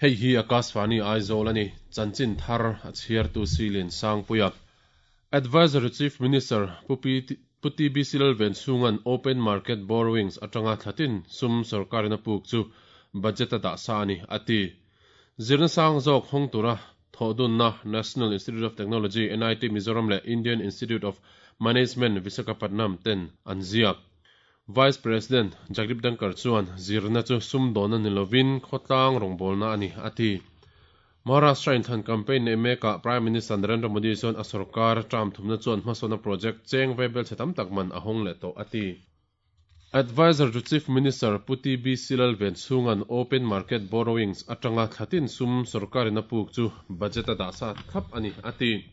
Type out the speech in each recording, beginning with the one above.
Hei hi Akashvani Aizawl a ni, chanchin thar a chhiartu Silin Sangpuia. Advisory Chief Minister Pu Pu TBC Lalvenchhunga'n Open Market Borrowings atanga thlatin sum sorkarin a puk chu budget a dah sa a ni, a ti. Zirna sang zawk hawng tura thawhdunna National Institute of Technology, NIT, Mizoram leh Indian Institute of Management, Visakhapatnam ten an ziak. Vice President Jagdeep Dhankhar chuan zirna chu sumdawnna ni lovin khawtlang rawngbawlna a ni, a ti. Maharashtra inthlan campaign neih mekah Prime Minister Narendra Modi chuan a sorkar term thumna chuan hmasawnna project cheng ve belchhe tam tak man a hawng leh tawh, a ti. Adviser to Chief Minister Pu TBC Lalvenchhunga'n Open Market Borrowings atanga thlatin sum sorkarin a puk chu budget a dah sa thlap a ni, a ti.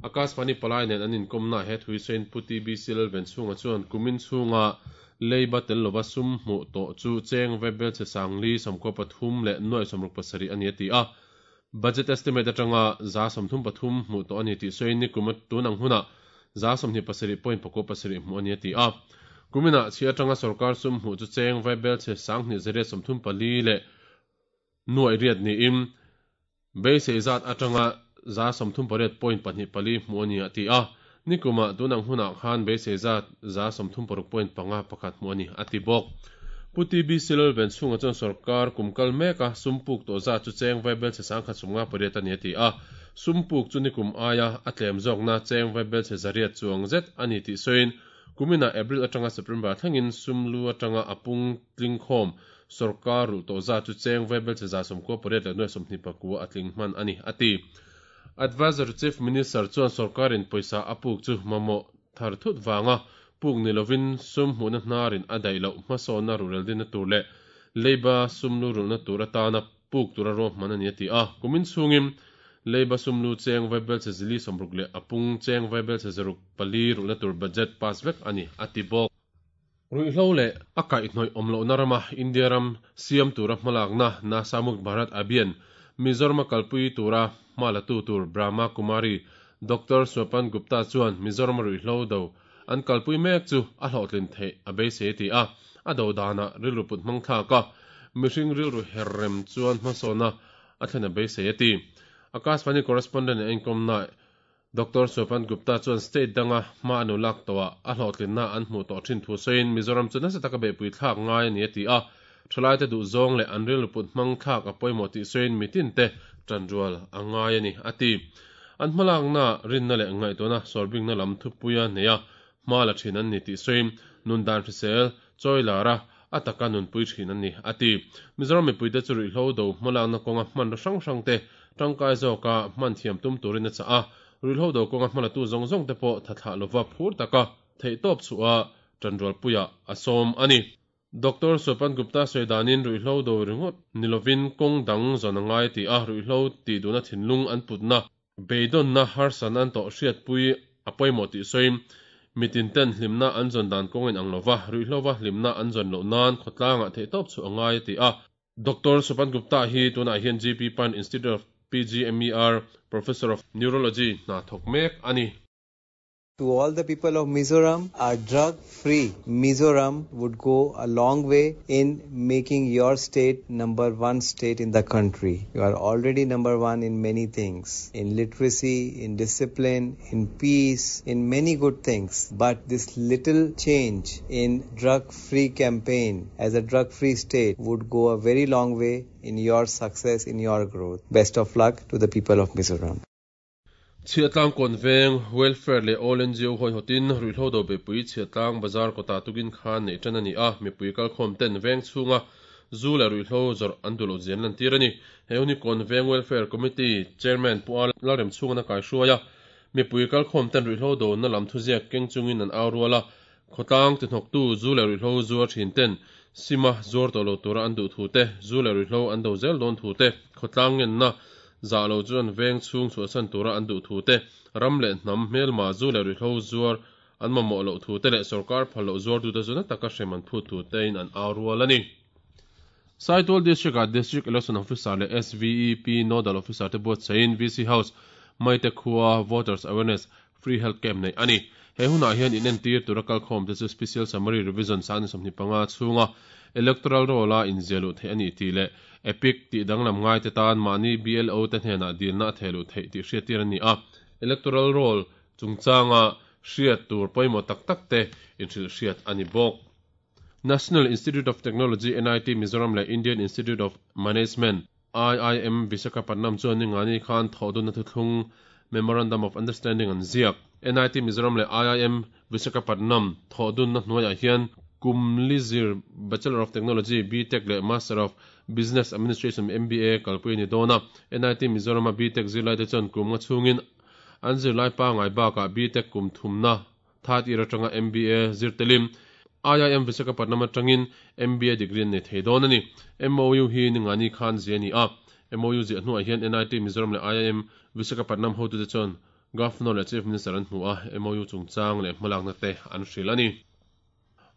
Akashvani palai nen an inkawmnaah he thui sawiin Pu TBC Lalvenchhunga chuan kumin chhunga leiba tel lova sum hmuh tawh chu cheng vaibel chhe sangli 93 leh nuai 67 a ni a ti a. Budget estimate atanga 33% hmuh tawh a ni tih sawiin nikum tun ang hunah 27.97 hmuh a ni a ti a. Kuminah chhi atanga sorkar sum hmuh chu cheng vaibel chhe 2834 leh nuai riat niin Beisei zat atanga 38 point pahnih pali hmuh a ni a ti a, nikumah tun ang hunah khan beisei zat 36 point panga pakhat hmuh a ni a ti bawk. Pu TBC Lalvenchhunga chuan sorkar kum kal meka sum puk tawh zat chu cheng vaibelchhe 1158 a ni a ti a, sum puk chu nikum aia a tlem zawkna cheng vaibelchhe zariat chuang zet a ni tih sawiin kuminah April atanga September thlengin sum lu atanga a pung tlingkhawm Sorkar rulh tawh zat chu cheng vaibelchhe 98 leh nuai 29 a tling hman a ni, a ti. Adviser to Chief Minister chuan sorkarin pawisa a puk chu mamawh thar thut vanga puk ni lovin sum hmuhna hnarin a daih loh hmasawnna ruhrel dinna tur leh leiba sum lu rulhna tur atana puk tura ruahman a ni, a ti a. Kumin chhungin leiba sum lu cheng vaibelchhe zili 60 leh a pung cheng vaibelchhe 604 rulhna tur budget pass vek a ni, a ti bawk. Ruihhlo leh a kaihhnawih awm lohna rama India ram siam tura hmalakna Nasha Mukt Bharat Abhiyan Mizoram a kalpui tura hma latu tur Brahma Kumari Doctor Swapan Gupta chuan Mizoram a ruihhlo do an kalpui mek chu a hlawhtlin theih a beisei a ti a, a do danah rilru put hmang thlak a, mihring rilru her rem chuan hmasawna a thlen a beisei a ti. Akashvani correspondent a inkawmna Doctor Swapan Gupta chuan state danga hma an ulak tawhah a hlawhtlinna an hmuh tawh thin thu sawiin Mizoram chu nasa taka beihpui thlak ngai a ni a ti a, thalaite duhzawng leh an rilru put hmang thlak a pawimawh tih sawiin mitinte tanrual a ngai a ni a ti. An hmalakna, rinna leh ngaihtuahna sawrbingna lam thupuia neia hma la thin an ni tih sawiin nun dan hrisel, chawi lara a taka nunpui thin an ni a ti. Mizoram mipuite chu ruihhlo do hmalakna kawnga hmanraw hrang hrangte tangkai zawka hman thiam tum turin a chah a, ruihhlo do kawnga hmalatu zawng zawngte pawh thathlah lova phur taka theihtawp chhuah a tanrualpuiah a sawm a ni. Doctor Swapan Gupta sawi danin ruihhlo do ringawt ni lovin kawng dang zawn a ngai tih a, ruihhlo tih duhna thinlung an putna, beidawnna harsan an tawh hriatpui a pawimawh tih sawiin mitin ten hlimna an zawn dan kawng in ang lova, ruihhlova hlimna an zawn loh nan khawtlangah theihtawp chhuah a ngai a ti a. Doctor Swapan Gupta hi tunah hian GP Pant Institute of PGIMER Professor of Neurology hna thawk mek a ni. To all the people of Mizoram, a drug-free Mizoram would go a long way in making your state number one state in the country. You are already number one in many things, in literacy, in discipline, in peace, in many good things. But this little change in drug-free campaign as a drug-free state would go a very long way in your success, in your growth. Best of luck to the people of Mizoram. Chhiahtlang kawn veng, Welfare leh All NGO hawihawtin ruihhlo do beihpui Chhiahtlang bazar kawtah tukin khan neih tan a ni a, mipui kalkhawm ten veng chhunga zu leh ruihhlo zawrh an duh loh zia an lantir a ni. He hun hi kawn veng Welfare Committee Chairman Pu A Lalremchhunga'n a kaihruai a, mipui kalkhawm ten ruihhlo dona lam thuziak keng chungin an au rual a, khawtlang tihnawktu zu leh ruihhlo zuar thin ten sima zuar tawh lo tura an duh thu te, zu leh ruihhlo an do zel dawn thu te, khawtlang ngenna zah lo chuan veng chhung chhuahsan tura an duh thu te, ram leh hnam hmelma zu leh ruihhlo zuar an mamawh loh thu te leh sorkar phal loh zuartute chu na taka hrem an phut thu tein an au rual a ni. Saitual District-ah District Election Officer leh SVEP Nodal Officer te buatsaihin VC House, Maite khua Voters Awareness Free Health Camp neih a ni. He hunah hian inentir tura kalkhawmte chu Special Summary Revision 25 chhunga Electoral Roll-a inziah luh theih a ni tih leh EPIC tih danglam ngaite tan mahni BLO te hnenah dilna a theh luh theih tih hriattir a ni a. Electoral Roll chungchanga hriat tur pawimawh tak tak te inhrilh hriat a ni bawk. National Institute of Technology, NIT, Mizoram leh Indian Institute of Management, IIM, Visakhapatnam chuan ningani khan thawhdunna thuthlung, Memorandum of Understanding, an ziak. NIT Mizoram leh IIM Visakhapatnam thawhdunna hnuaiah hian kum li zir Bachelor of Technology, BTech, leh Master of Business Administration, MBA, kalpui a ni dawn a. NIT Mizoram-a BTech zirlaite chuan kum nga chhungin an zirlai pangngai bakah BTech kum thumna Third year atanga MBA zir telin IIM Visakhapatnam atangin MBA degree an nei thei dawn a ni. MOU hi ningani khan zia a ni a. MOU ziah hnuah hian NIT Mizoram leh IIM Visakhapatnam hotute chuan Governor leh Chief Minister an hmu a, MOU chungchang leh hmalakna te an hrilh a ni.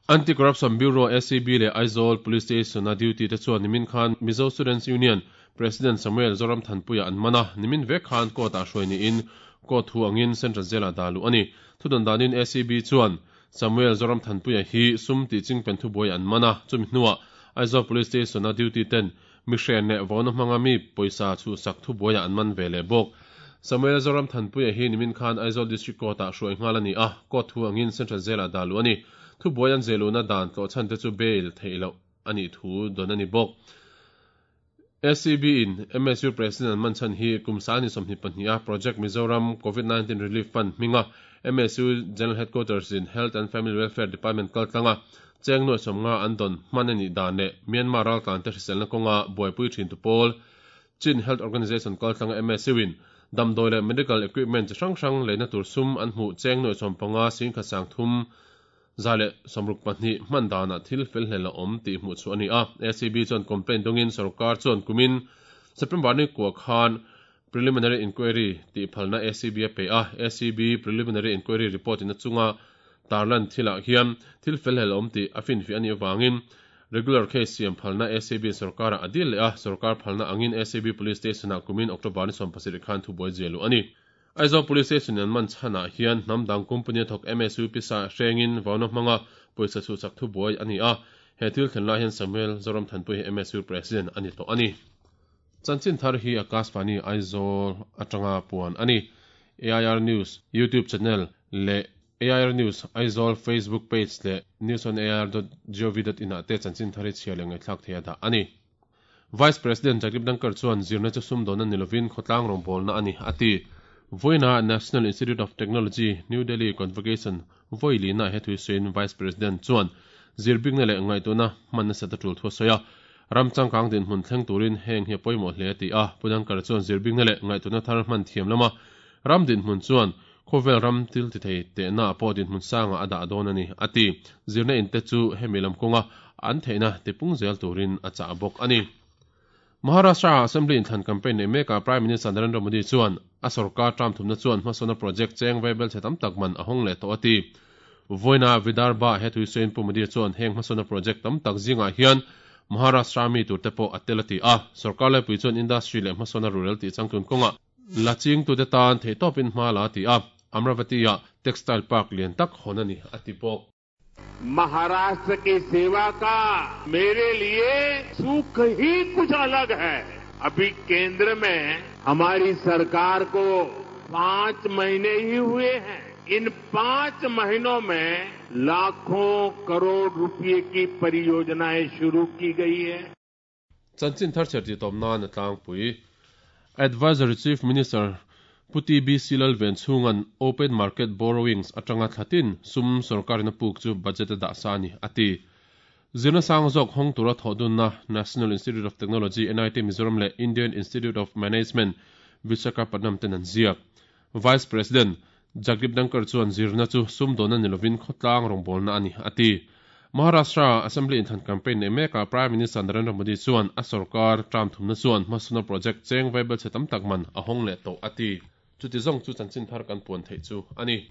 Anti-Corruption Bureau, ACB, leh Aizawl Police Station-a duty te chuan nimin khan Mizo Students Union President Samuel Zoramthanpuia an man a, nimin vek khan court-ah hruai niin court thu angin Central Jail-ah dah luh a ni. Thudawn danin ACB chuan Samuel Zoramthanpuia hi sum tih chingpen thubuai an man a, chumi hnuah Aizawl Police Station-a duty ten mihren leh vauna hmanga mi pawisa chhuhsak thubuaiah an man ve leh bawk. Samuel Zoramthanpuia hi nimin khan Aizawl District Court-ah hruai nghal a ni a, court thu angin Central Jail-ah dah luh a ni. Thubuai an zehluhna dan tlawhchhan te chu bail theih loh a nih thu dawn a ni bawk. SCB in MSU President an man chhan hi kum 22 a Project Mizoram Covid 19 Relief Fund hminga MSU General Headquarters in Health and Family Welfare Department kaltlanga cheng nuai 50 an dawn hman a nih dan leh Myanmar raltlante hriselna kawnga buaipui thintu pawl Chin Health Organization kaltlanga MSU in damdawi leh medical equipment chi hrang hrang leina tur sum an hmuh cheng nuai 15 singkhat 30 162 hman danah thil fel hlel a awm tih hmuh chhuah a ni a. ACB chuan complaint dawngin sorkar chuan kumin September ni kua khan Preliminary Inquiry tih phalna ACB a pe a. ACB Preliminary Inquiry report in a chunga tarlan thilah hian thil fel hlel a awm tih a finfiah a nih avangin Regular case siam phalna ACB in sorkarah a dil leh a, sorkar phalna angin ACB Police Station-ah kumin October ni 17 khan thubuai ziah luh a ni. Aizawl Police Station an man chhanah hian hnam dang company a thawk MSU pisa hrengin vauna hmanga pawisa chhuhsak thubuai a ni a, he thil thlen lai hian Samuel Zoramthanpui hi MSU President a ni tawh a ni. Chanchin thar hi Akashvani Aizawl atanga puan a ni. AIR News YouTube channel leh AIR News Aizawl Facebook page leh newsonair.gov.in ah te chanchin thar hi chhiar leh ngaihthlak thei a dah a ni. Vice President Jagdeep Dhankhar chuan zirna chu sumdawnna ni lovin khawtlang rawngbawlna a ni, a ti. Vawiina National Institute of Technology, New Delhi Convocation vawi lina he thui sawiin Vice President chuan zirbikna leh ngaihtuahna hman nasat a tul thu a sawi a. Ram changkang dinhmun thleng turin heng hi a pawimawh hle a ti a. Pu Dhankhar chuan zirbikna leh ngaihtuahna thar hman thiam lama ram dinhmun chuan khawvel ram thil ti thei tehna pawh dinhmun sangah a dah dawn a ni, a ti. Zirna inte chu hemi lam kawnga an theihna tipung zel turin a chah bawk a ni. Maharashtra-ah Assembly inthlan campaign neih mekah Prime Minister Narendra Modi chuan a sorkar term thumna chuan hmasawnna project cheng vaibel chhe tam tak man a hawng leh tawh a ti. Vawiina Vidarbha he thui sawiin Pu Modi chuan heng hmasawnna project tam tak zingah hian Maharashtra mi turte pawh a tel a ti a. Sorkar laipui chuan industry leh hmasawnna rurel tih changtlun kawngah La chingtute tan theihtawpin hma la ti a, Amravati-ah Textile Park lian tak hawn a ni, a ti bawk. Maharashtra ki seva ka mere liye sukh hi kuch alag hai. Abhi kendra mein hamari sarkar ko paanch mahine hi hue hain. In paanch mahino mein lakhon crore rupaye ki pariyojanayen shuru ki gayi hai. Chanchin thar chher tih tawp nan a tlangpui. Advisory Chief Minister Pu TBC Lalvenchhunga'n Open Market Borrowings atanga thlatin sum sorkarin a puk chu budget a dah sa a ni, a ti. Zirna sang zawk hawng tura thawh dunna National Institute of Technology, NIT, Mizoram leh Indian Institute of Management, Visakhapatnam ten an ziak. Vice President Jagdeep Dhankhar chuan zirna chu sumdawnna ni lovin khawtlang rawngbawlna a ni, a ti. Maharashtra Assembly inthlan campaign nei mekah Prime Minister Narendra Modi chuan a sorkar term thumna chuan hmasawnna project cheng vaibel chhe tam tak man a hawng leh tawh, a ti. Chuti zawng chu chanchin thar kan puan theih chu a ni.